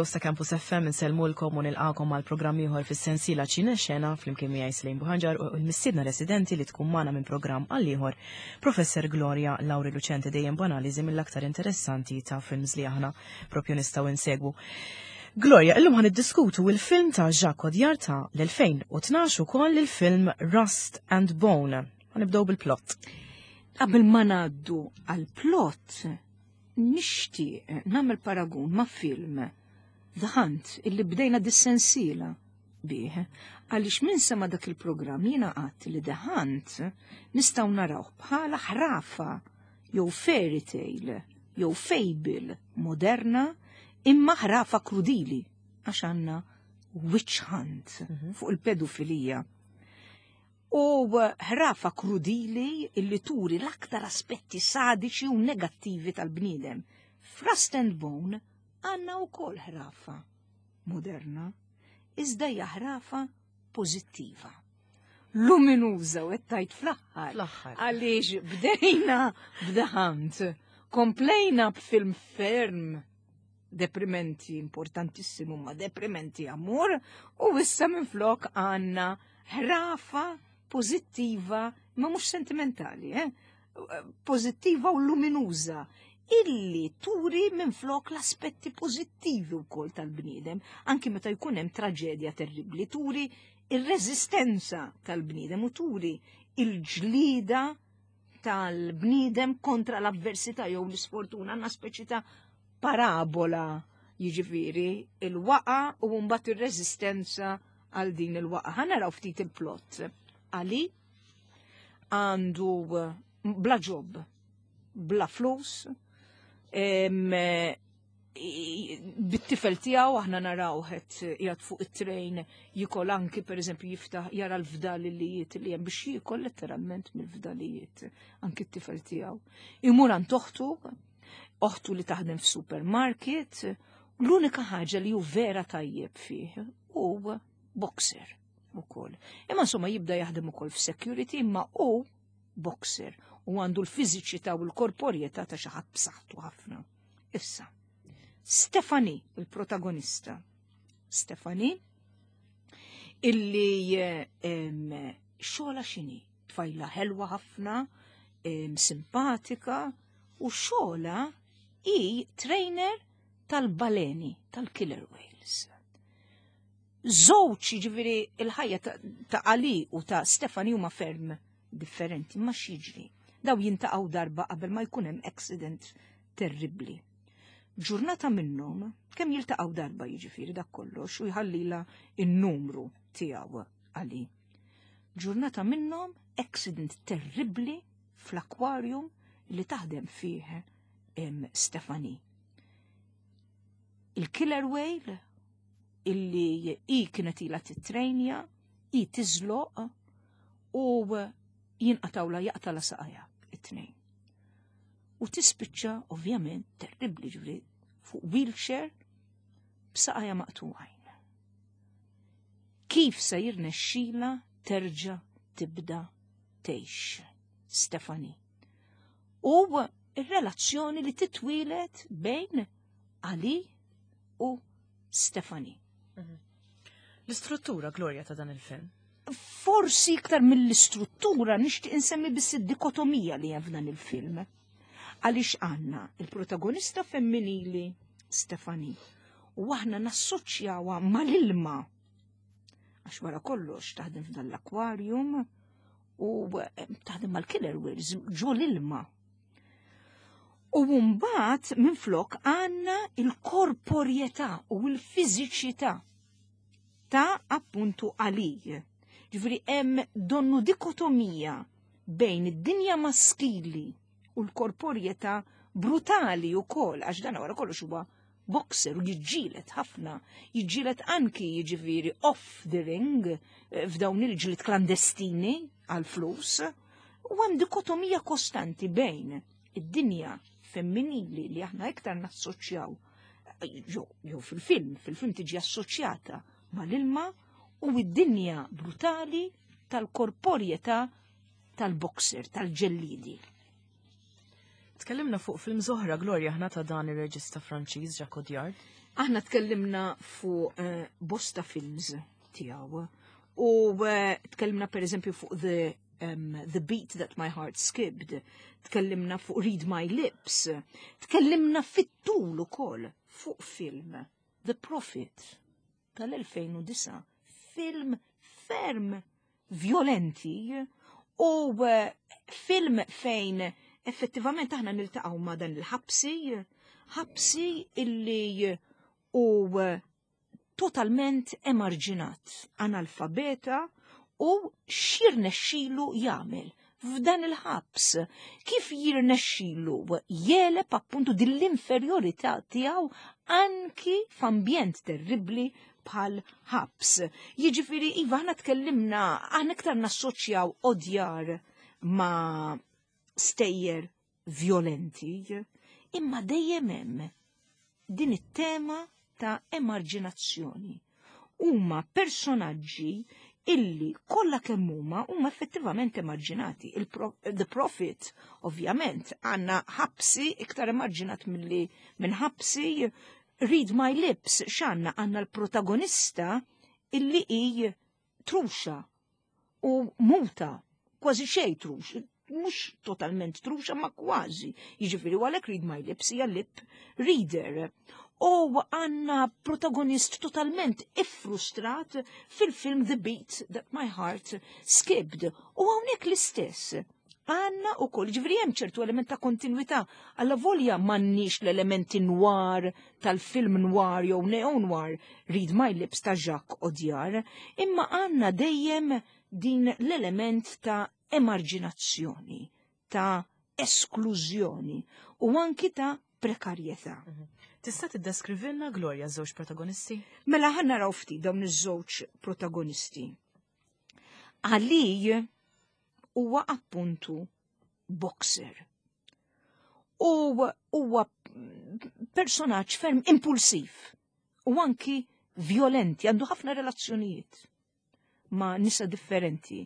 Fl-istudios ta' Campus FM insellmulkom u nilqakom għal programm ieħor fis-sensiela Ċine Xena flimkien miegħi Slejn Buħanġar u l-mistiedna residenti li tkun magħna minn programm għal ieħor Professor Gloria Lauri Lucente dejjem b'analiżi mill-aktar interessanti ta' films li aħna propju nistgħu insegwu. Gloria, illum ħan iddiskutu il-film ta' Jacques Audiard ta' l-2012 ukoll il-film Rust and Bone. Nibdew bil-plot. Qabel ma ngħaddu għal-plot, Nixtieq nagħmel paragun ma' film The Hunt illi bdejna dis-sensiela bih għaliex minn sema dak il-programm jiena qatt li The Hunt nistgħu narawh bħala ħrafa jew fairy tale jew fable moderna imma ħrafa krudili għax għandna witch hunt mhm. fuq il-pedofilija. U ħrafa krudili illi turi l-aktar aspetti sadiċi u negattivi tal-bniedem. F'Rust and Bone għandna wkoll ħrafa moderna, iżda hija ħrafa pożittiva. Luminuża u tajt fl-aħħar. Fl-aħħar. Għaliex bdejna b'The Hunt, komplejna b'film ferm deprimenti importantissimu ma deprimenti amur u issa minflok għanna ħrafa pozittiva ma mhux sentimentali, eh? Pozittiva u luminuża illi turi minflok l-aspetti pozittivi wkoll tal-bniedem, anki meta jkun hemm traġedja terribbli, turi ir-reżistenza tal-bniedem u turi il-ġlida tal-bniedem kontra l-avversità jew l-isfortuna għandna speċi ta' parabola jiġifieri il-waqa u mbagħad ir-reżistenza għal din il-waqa. Ħa naraw ftit il-plot. Ali għandu bla ġob, bla flus, bit-tifel tiegħu aħna naraw qed qiegħed fuq it-trejn jikol anki pereżempju jiftaħ jara l-fdalijiet li hemm biex jiekol letteralment mill-fdalijiet anki t-tifel tiegħu. Imur għand oħtu, oħtu li taħdem f'supermarket, l-unika ħaġa li hu vera tajjeb fih hu boxer ukoll. Imma insomma jibda jaħdem ukoll f'security imma hu boxer u għandu l-fiżiċità u l-korporjetà ta' xi ħadd b'saħħtu ħafna. Issa, Stefani, il-protagonista, Stefani, illi xogħla xini, tfajla ħelwa ħafna, simpatika, u xogħla i trainer tal-baleni, tal-killer whales. Żewġ jiġifieri il-ħajja ta' Ali u ta' Stefani huma ferm differenti, ma x'jiġri. Daw jintaqgħu darba qabel ma jkun hemm accident terribbli. Ġurnata minnhom kemm jiltaqgħu darba jiġifieri dak kollox u jħallila n-numru tiegħu Ali. Ġurnata minnhom accident terribbli fl-aquarium li taħdem fih Stefani. Il-killer whale illi i kienet ila titrejnja, i tiżloq u jinqatawla jaqtala saqajja it-tnejn. U tispiċċa ovvjament terribbli ġifri fuq wheelchair b'saqajja maqtugħin. Kif se jirnexxila terġa' tibda tgħix Stefani? U r-relazzjoni li titwilet bejn Ali u Stefani. Mhm. L-istruttura, Gloria, ta' dan il-film? Forsi iktar mill-istruttura nixtieq insemmi biss id-dikotomija li hemm f'dan il-film. Għaliex għandna il-protagonista femminili Stefani u aħna nassoċjawha mal-ilma. Għax wara kollox taħdem f'dan l-aquarium u eh, taħdem mal-killer whales ġo l-ilma. U mbagħad minflok għandna il-korporjetà u l-fiżiċità ta' appuntu għalij. Ġifieri hemm donnu dikotomija bejn id-dinja maskili u l-korporjetà brutali wkoll għax dan wara kollox huwa boxer u jiġġielet ħafna, jiġġielet anki jiġifieri off the ring eh, f'dawn il-ġlied klandestini għal flus u hemm dikotomija kostanti bejn id-dinja femminili li aħna iktar nassoċjaw jew fil-film, fil-film tiġi assoċjata mal-ilma u id-dinja brutali tal-korporjetà tal-boxer, tal-ġellidi. Tkellimna fuq film zoħra Gloria ħna ta' dan ir-reġista Franċiż Jacques Audiard. Aħna tkellimna fuq eh, bosta films tiegħu u eh, tkellimna pereżempju fuq The, um, The Beat That My Heart Skipped, tkellimna fuq Read My Lips, tkellimna fit-tul ukoll fuq film The Prophet tal-2009, film ferm violenti u eh, film fejn effettivament aħna niltaqgħu ma' dan il-ħabsi, ħabsi illi u eh, totalment emarġinat, analfabeta u x'jirnexxilu jagħmel f'dan il-ħabs. Kif jirnexxilu jeleb appuntu din l-inferjorità tiegħu anki f'ambjent terribbli bħal ħabs. Jiġifieri iva aħna tkellimna aħna iktar nassoċjaw odjar ma' stejjer violenti, imma dejjem hemm din it-tema ta' emarġinazzjoni. Huma personaġġi illi kollha kemm huma huma effettivament emarġinati. The Prophet, ovvjament, għandna ħabsi iktar emarġinat milli minn ħabsi Read My Lips x'għandna għandna l-protagonista illi hi truxa u muta, kważi xejn trux, mhux totalment truxa ma kważi. Jiġifieri għalhekk Read My Lips hija lip reader. U għanna protagonist totalment iffrustrat fil-film The Beat That My Heart Skipped. U hawnhekk l-istess. Għanna u koll, ġifri hemm ċertu element ta' kontinuità, għalla volja m'għandniex l-elementi noir tal-film noir jew neo-noir Read My Lips ta' Jacques Audiard, imma għanna dejjem din l-element ta' emarġinazzjoni, ta' esklużjoni u anki ta' prekarjetà. Mhm. Tista' tiddeskrivilna Gloria żewġ protagonisti? Mela ħa naraw ftit dawn iż-żewġ protagonisti. Ali huwa appuntu boxer. U huwa personaġġ ferm impulsiv u anki violenti, għandu ħafna relazzjonijiet ma' nisa differenti.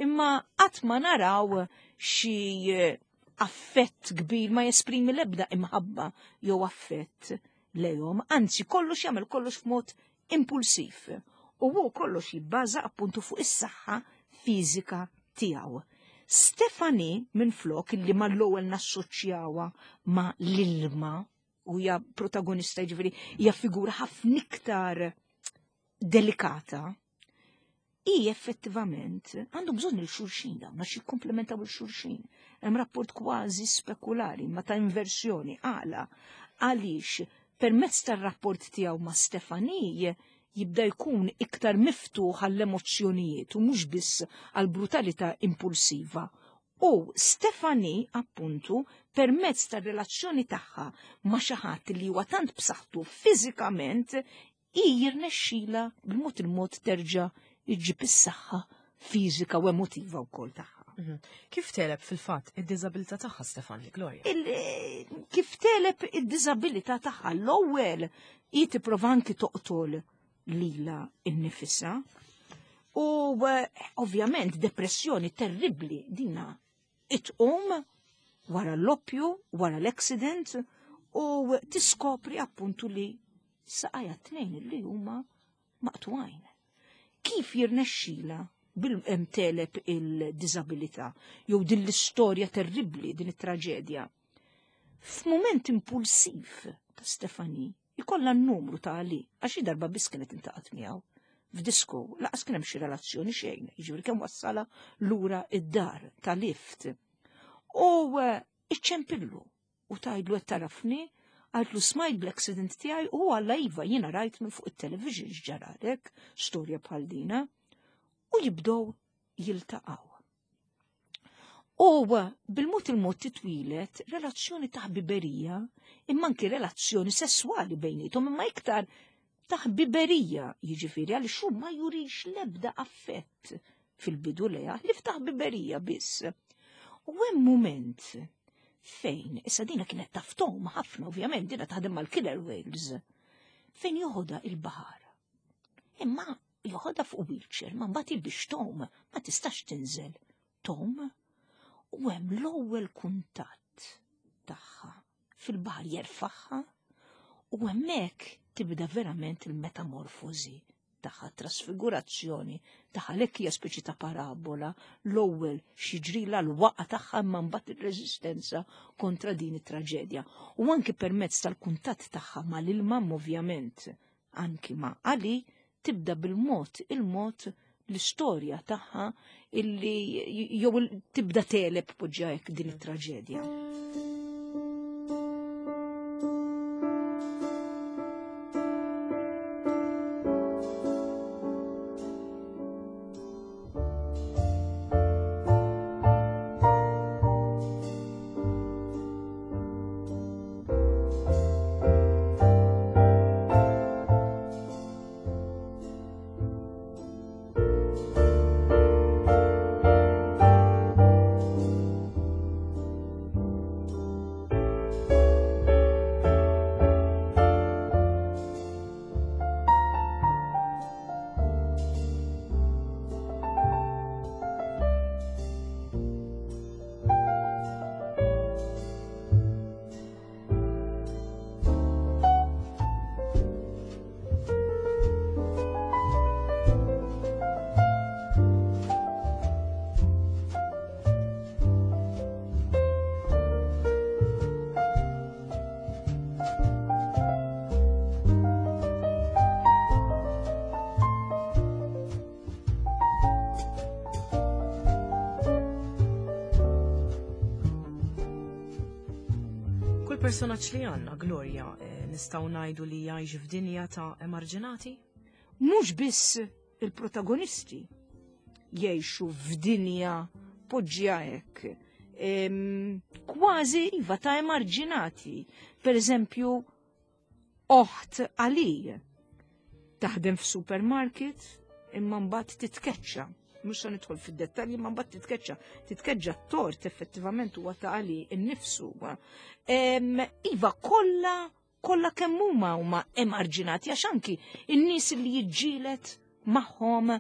Imma qatt ma naraw xi eh, affett kbir ma jesprimi l-ebda imħabba jew affett lejhom, anzi kollox jagħmel kollox f'mod impulsiv. U hu kollox jibbaża appuntu fuq is-saħħa fiżika tiegħu. Stefani minn flok illi mal-ewwel nassoċjawha ma' l-ilma u hija protagonista jiġifieri hija figura ħafna iktar delikata, hi effettivament għandu bżonn il-xulxin dawn għax jikkomplementaw il-xulxin. Hemm rapport kważi spekulari ma ta' inversjoni għala għaliex permezz tar-rapport tiegħu ma' Stefani jibda jkun iktar miftuħ għall-emozzjonijiet u mhux biss għall-brutalità impulsiva. U Stefani, appuntu, permezz tar-relazzjoni tagħha ma' xi ħadd li huwa tant b'saħħtu fiżikament, hi jirnexxila bil-mod il-mod terġa' iġġib is-saħħa fiżika u emotiva wkoll tagħha. Mhm. Kif teleb fil-fatt id-diżabilità tagħha Stefani Gloria? Eh, kif teleb id-diżabilità tagħha l-ewwel hi tipprova anki toqtol lila innifisha. U eh, ovvjament depressjoni terribbli dina itqum wara l-oppju, wara l-accident u tiskopri appuntu li saqajja tnejn li huma maqtugħin. Kif jirnexxila bil-teleb il-diżabilità jew din l-istorja terribbli, din it-traġedja. F'mument impulsiv ta' Stefani, ikollha n-numru ta' Ali, għax darba biss kienet intaqat miegħu f'disko, laqas kien hemm xi relazzjoni xejn, jiġifieri kemm wassala lura id-dar ta' lift. U eh, iċċempillu u tgħidlu qed tarafni, għaltlu smajt bl-accident tiegħi u għalla iva jiena rajt minn fuq it-television x'ġaralek, storja bħal dina, u jibdew jiltaqgħu. U bil-mod il-mod titwilet relazzjoni ta' ħbiberija, imma anki relazzjoni sesswali bejnietom, imma iktar ta' ħbiberija, jiġifieri għaliex hu ma jurix l-ebda affett fil-bidu leha, li ftaħ biberija biss. U hemm mument fejn, issa dina kienet taftom ħafna ovvjament, dina taħdem mal-killer whales, fejn joħodha il-baħar. Imma joħodha fuq wheelchair, ma mbagħad biex tom ma tistax tinżel. Tom u hemm l-ewwel kuntatt tagħha fil-baħar jerfaħħa u hemmhekk tibda verament il-metamorfożi tagħha, trasfigurazzjoni tagħha lek hija speċi ta' parabola l-ewwel x'jiġrilha l-waqa tagħha imma mbagħad ir-reżistenza kontra din it-traġedja. U anki permezz tal-kuntatt tagħha mal-ilma ovvjament anki ma' Ali tibda bil-mod il-mod l-istorja tagħha illi jew tibda teleb poġġa hekk din it-traġedja. Kull personaġġ li għandna, Gloria, eh, nistgħu ngħidu li jgħix f'dinja ta' emarġinati? Mhux biss il-protagonisti jgħixu f'dinja poġġja hekk. Kważi iva ta' emarġinati. Per eżempju, oħt Ali taħdem f'supermarket imma mbagħad titkeċċa. Mhux se nidħol fid-dettalji imma mbagħad titkeċċa. Titkeċċa t-tort effettivament huwa ta' Ali innifsu. Iva kollha kollha kemm huma huma emarġinati għax anki in-nies li jiġġielet magħhom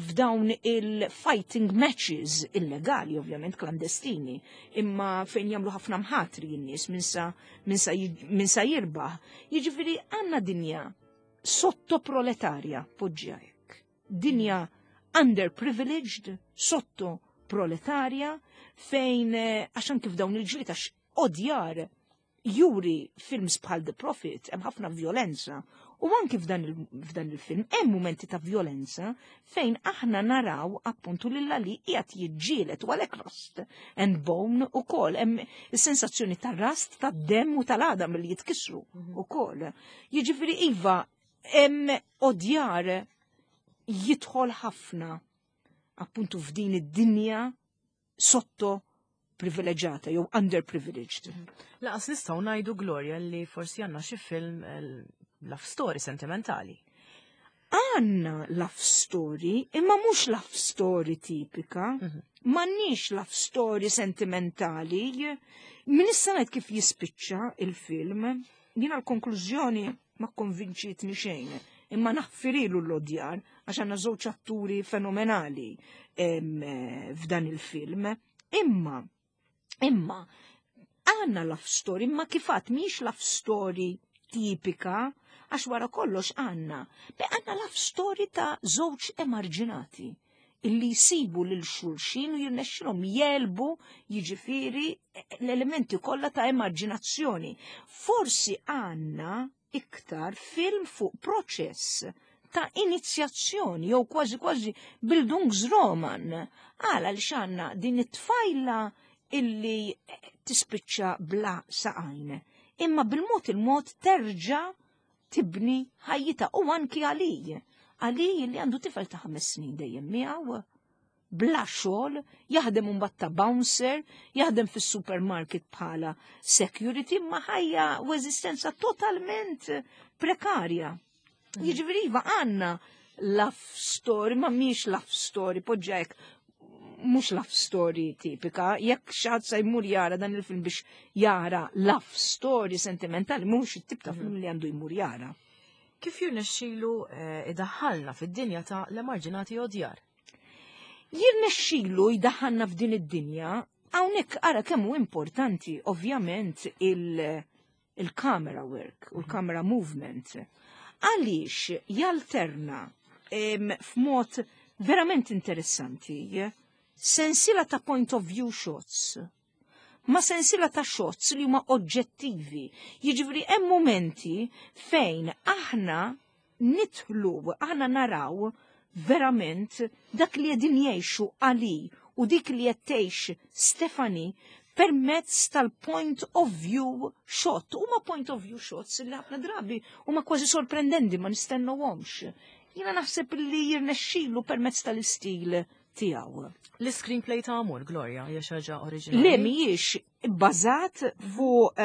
f'dawn il-fighting matches illegali, ovvjament klandestini, imma fejn jagħmlu ħafna mħatri n-nies min sa jirbaħ. Jiġifieri għandna dinja sottoproletarja, poġġi hekk. Dinja underprivileged, sottoproletarja, fejn eh, għax anki f'dawn il-ġlied għax odjar juri films bħal The Prophet, hemm ħafna violenza. U anki f'dan il-film hemm mumenti ta' violenza fejn aħna naraw appuntu lil Ali qiegħed jiġġieled u għalhekk rust and bone ukoll hemm is-sensazzjoni ta' rast tad-demm u tal-għadam li jitkissru mhm. ukoll. Jiġifieri iva hemm odjar jidħol ħafna appuntu f'din id-dinja sotto privileġġata jew underprivileged. Mhm. Laqas nistgħu ngħidu Gloria li forsi għandna xi film eh, love story sentimentali. Għanna love story, imma mhux love story tipika, mhm. m'għandniex love story sentimentali. Min issa ngħid kif jispiċċa il-film, jiena l-konklużjoni ma konvinċitni xejn, imma naħfirilu l-odjar għax għandna żewġ atturi fenomenali f'dan il-film. Imma, imma, għandna love story, imma kifat miex love story tipika, għax wara kollox għandna. Be għandna love story ta' żewġ emarġinati illi jsibu lil xulxin u jirnexxilhom jelbu jiġifieri l-elementi kollha ta' emarġinazzjoni. Forsi għandna iktar film fuq proċess ta' inizjazzjoni jew kważi kważi Bildungsroman. Għala li xanna din it-tfajla illi tispiċċa bla saqajn. Imma bil-mod il-mod terġa' tibni ħajjita u anki għalij. Għalij li għandu tifel ta' ħames snin dejjem miegħu bla xogħol, jaħdem imbagħad ta' bouncer, jaħdem fis-supermarket bħala security, ma ħajja u eżistenza totalment prekarja. Mm. Jiġifieri iva għandna love story, ma mhix love story, poġġa hekk mhux love story tipika, jekk xaħat sa jmur jara dan il-film biex jara love story sentimentali, mhux it-tip ta' film li għandu jmur jara. Kif jirnexxilu eh, idaħħalna fid-dinja ta' l-emarġinati odjar? Jirnexxilu jdaħħalna f'din id-dinja, hawnhekk ara kemm hu importanti ovvjament il-camera work u l-camera movement. Għaliex jalterna f'mod verament interessanti sensiela ta' point of view shots ma' sensiela ta' shots li huma oġġettivi. Jiġifieri hemm mumenti fejn aħna nidħlu, aħna naraw verament dak li qegħdin jgħixu Ali u dik li qed tgħix Stephanie permezz tal-point of view shot. Huma point of view shots li ħafna drabi huma kważi sorprendenti ma nistennewhomx. Jiena naħseb li jirnexxilu permezz tal-istil tiegħu. L-screenplay ta' Amur, Gloria, hija xi ħaġa oriġinali? Le mhijiex bbażat fuq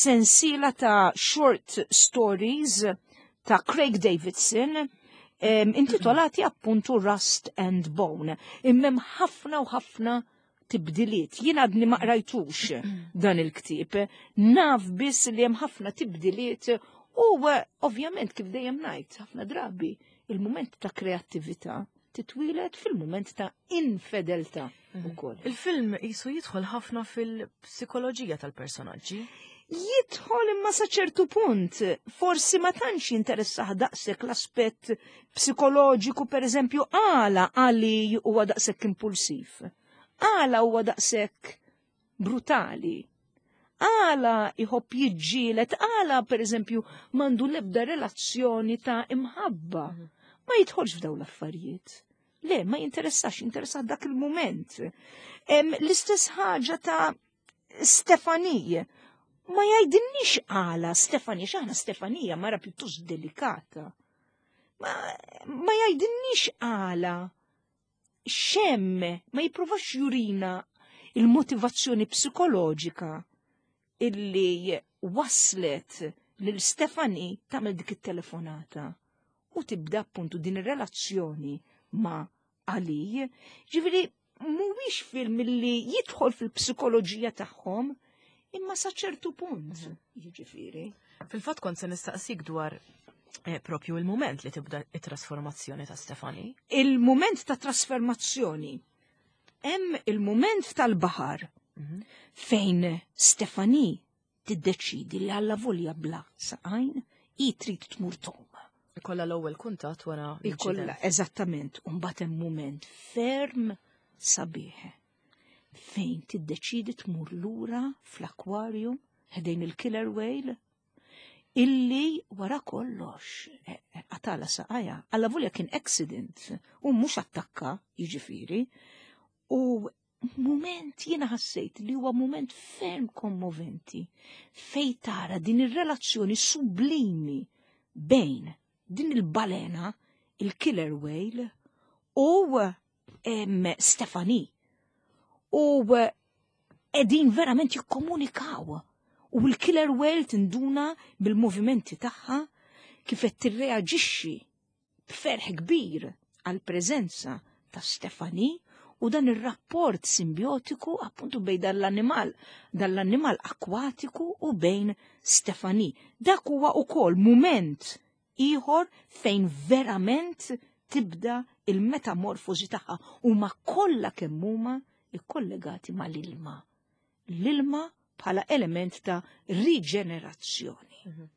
sensiela ta' short stories ta' Craig Davidson intitolati appuntu Rust and Bone. Imma hemm ħafna u ħafna tibdiliet. Jien għadni ma qrajtux dan il-ktieb. Naf biss li hemm ħafna tibdiliet u ovvjament kif dejjem ngħid ħafna drabi il-mument ta' kreattività titwieled fil-mument ta' infedeltà ukoll. Il-film jisu jidħol ħafna fil-psikoloġija tal-personaġġi. Jidħol imma sa ċertu punt, forsi ma tantx jinteressah daqshekk l-aspett psikoloġiku, per eżempju, għala Ali huwa daqshekk impulsiv, għala huwa daqshekk brutali, għala jħobb jiġġieled, għala per eżempju m'għandu l-ebda relazzjoni ta' imħabba. Ma jidħolx f'dawn l-affarijiet. Le, ma jinteressax, jinteressa dak il-moment. L-istess ħaġa ta' Stefanie. Ma jgħidilniex għala Stefanie, x'aħna Stefanija mara pjuttost delikata. Ma jgħidilniex għala xem, ma jipprovax jurina il-motivazzjoni psikoloġika illi waslet lil Stefani tagħmel dik it-telefonata u tibda appuntu din ir-relazzjoni ma' Ali. Ġifieri mhuwiex film li jidħol fil-psikoloġija tagħhom imma sa ċertu punt, jiġifieri. Fil-fatt kont se nistaqsik dwar propju il-moment li tibda it-trasformazzjoni ta' Stefani. Il-moment ta' trasformazzjoni. Hemm il-moment tal-baħar fejn Stefani tiddeċidi li alla volja bla saqajn i trid tmur tgħum. Ikolla l-ewwel kuntatt wara Ikolla, l-inċident. eżattament, u mbagħad hemm mument ferm sabiħ fejn tiddeċidi tmur lura fl-aquarium ħdejn il-killer whale illi wara kollox qatala saqajja. Alla volja kien accident u mhux attakka, jiġifieri. U moment jiena ħassejt li huwa moment ferm kommoventi fej tara din ir-relazzjoni sublimi bejn din il-balena, il-killer whale, u Stefani. U qegħdin verament jikkomunikaw. U l-killer whale tinduna bil-movimenti tagħha kif qed tirreaġixxi b'ferħ kbir għall-preżenza ta' Stefani u dan ir-rapport simbiotiku appuntu bejn dan l-annimal akkwatiku u bejn Stefani. Dak huwa ukoll mument ieħor fejn verament tibda il-metamorfosi tagħha huma kollha kemm huma ikkollegati mal-ilma. L-ilma bħala element ta' riġenerazzjoni.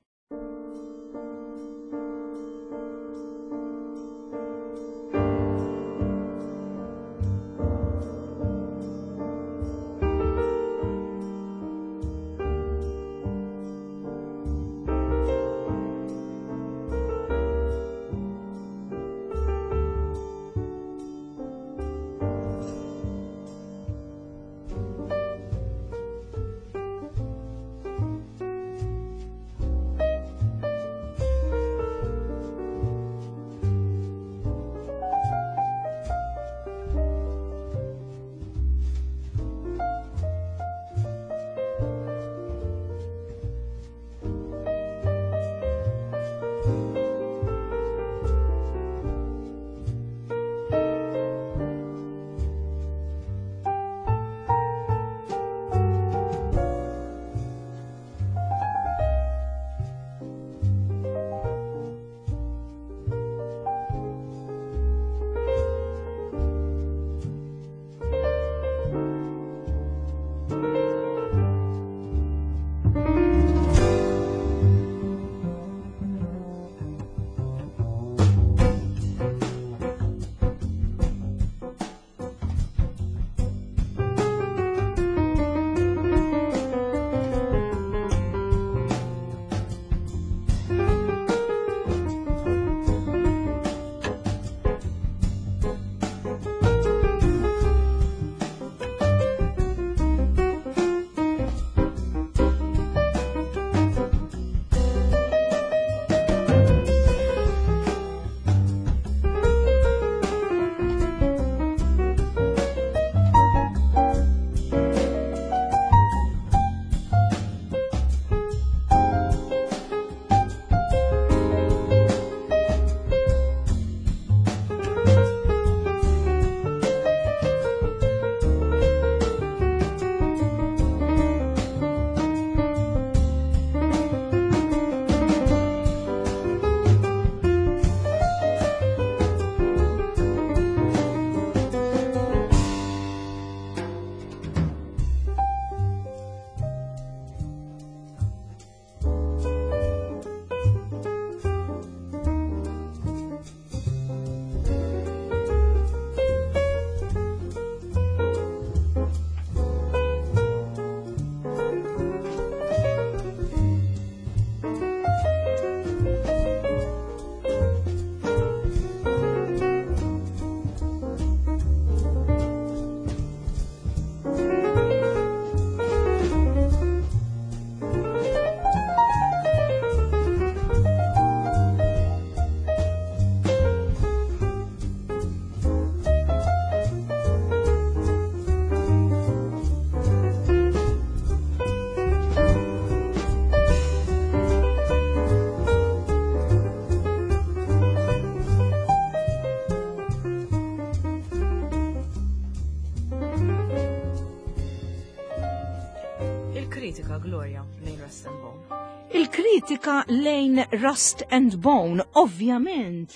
Il-kritika Gloria lejn Rust and Bone. Il-kritika lejn Rust and Bone, ovvjament,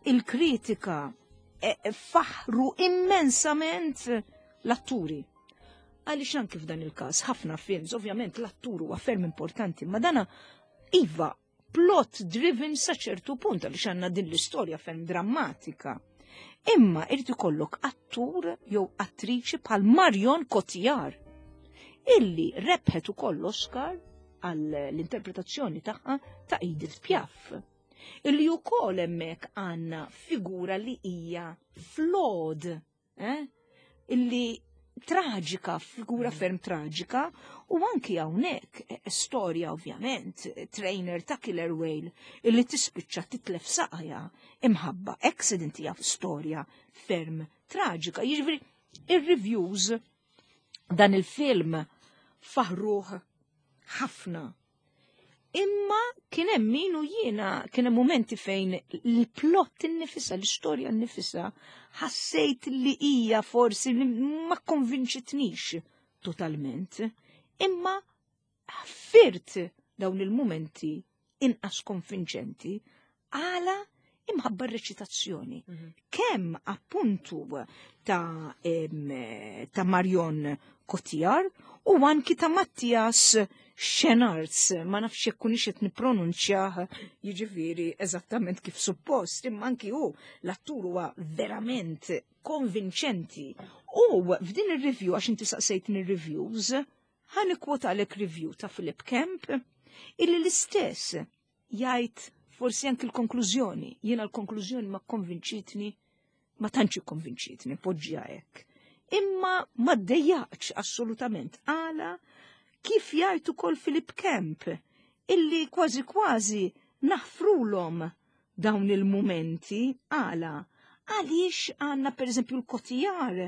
il-kritika e, faħru immensament l-atturi. Għaliex anki f'dan il-każ ħafna films, ovvjament l-attur huwa ferm importanti, ma dana iva plot driven sa ċertu punt għaliex għandna din l-istorja ferm drammatika. Imma irid ikollok attur jew attriċi bħal Marion Cotillard illi rebħet ukoll l-Oscar għall-interpretazzjoni tagħha ta' Edith Piaf. Illi ukoll hemmhekk għandna figura li hija flawed eh? illi traġika, figura mm. ferm traġika, u anki hawnhekk eh, storja ovvjament, trainer ta' Killer Whale illi tispiċċa titlef saqajha imħabba accident hija storja ferm traġika. Jiġifieri ir-reviews dan il-film faħruh ħafna. Imma kien hemm min u jiena kien hemm mumenti fejn l-plot innifisha, l-istorja nnifisha, ħassejt li hija forsi li ma konvinċitnix totalment. Imma ħfirt dawn il-mumenti inqas konvinċenti għala imħabba r-reċitazzjoni. Mhm. Kemm appuntu ta', ta Marion Cotillard u anki ta' Mattias Schenarts, ma nafx jekk kunix qed nippronunċjah jiġifieri eżattament kif suppost, imma anki hu l-attur huwa verament konvinċenti. U f'din ir-review għax inti saqsejtni reviews, ħa nikkwotalek review ta' Philip Kemp illi l-istess jgħid forsi anki l-konklużjoni. Jiena l-konklużjoni ma konvinċitni, ma tantx ikkonvinċitni, poġġiha hekk. Imma ma ddejjaqx assolutament għala kif jgħid ukoll Philip Kemp illi kważi kważi naħfrulhom dawn il-mumenti għala għaliex għandna per eżempju l-Cotillard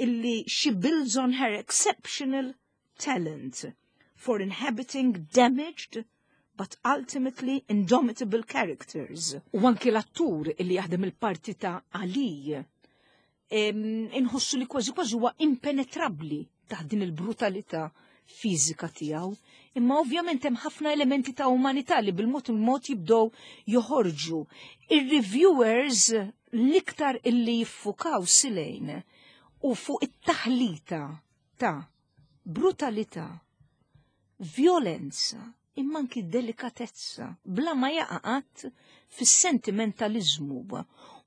illi she builds on her exceptional talent for inhabiting damaged but ultimately indomitable characters. U anki l-attur illi jaħdem il-parti ta' Ali inħossu li kważi kważi huwa impenetrabbli taħt din il-brutalità fiżika tiegħu. Imma ovvjament hemm ħafna elementi ta' umanità li bil-mod il-mod jibdew joħorġu. Ir-reviewers l-iktar illi jiffukaw silejn u fuq it-taħlita ta' brutalità, vjolenza, imma anki delikatezza, bla ma jaqa' qatt fis-sentimentaliżmu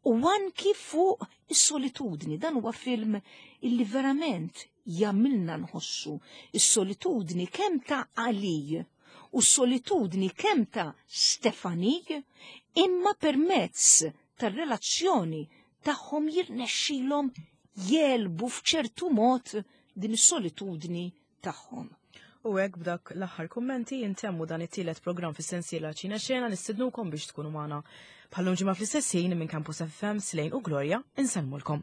u anki fuq is-solitudni. Dan huwa film illi verament jagħmilna nħossu is-solitudni kemm ta' Ali u s-solitudni kemm ta' Stefani, imma permezz tar-relazzjoni tagħhom jirnexxilhom jegħlbu f'ċertu mod din is-solitudni tagħhom. U hekk b'dak l-aħħar kummenti intemmu dan it-tielet programm fis-sensiela Ċina Xena nistidnukom biex tkunu magħna. Bħallum ġimgħa fl-istess ħin minn Campus FM Slejn u Gloria insellmulkom.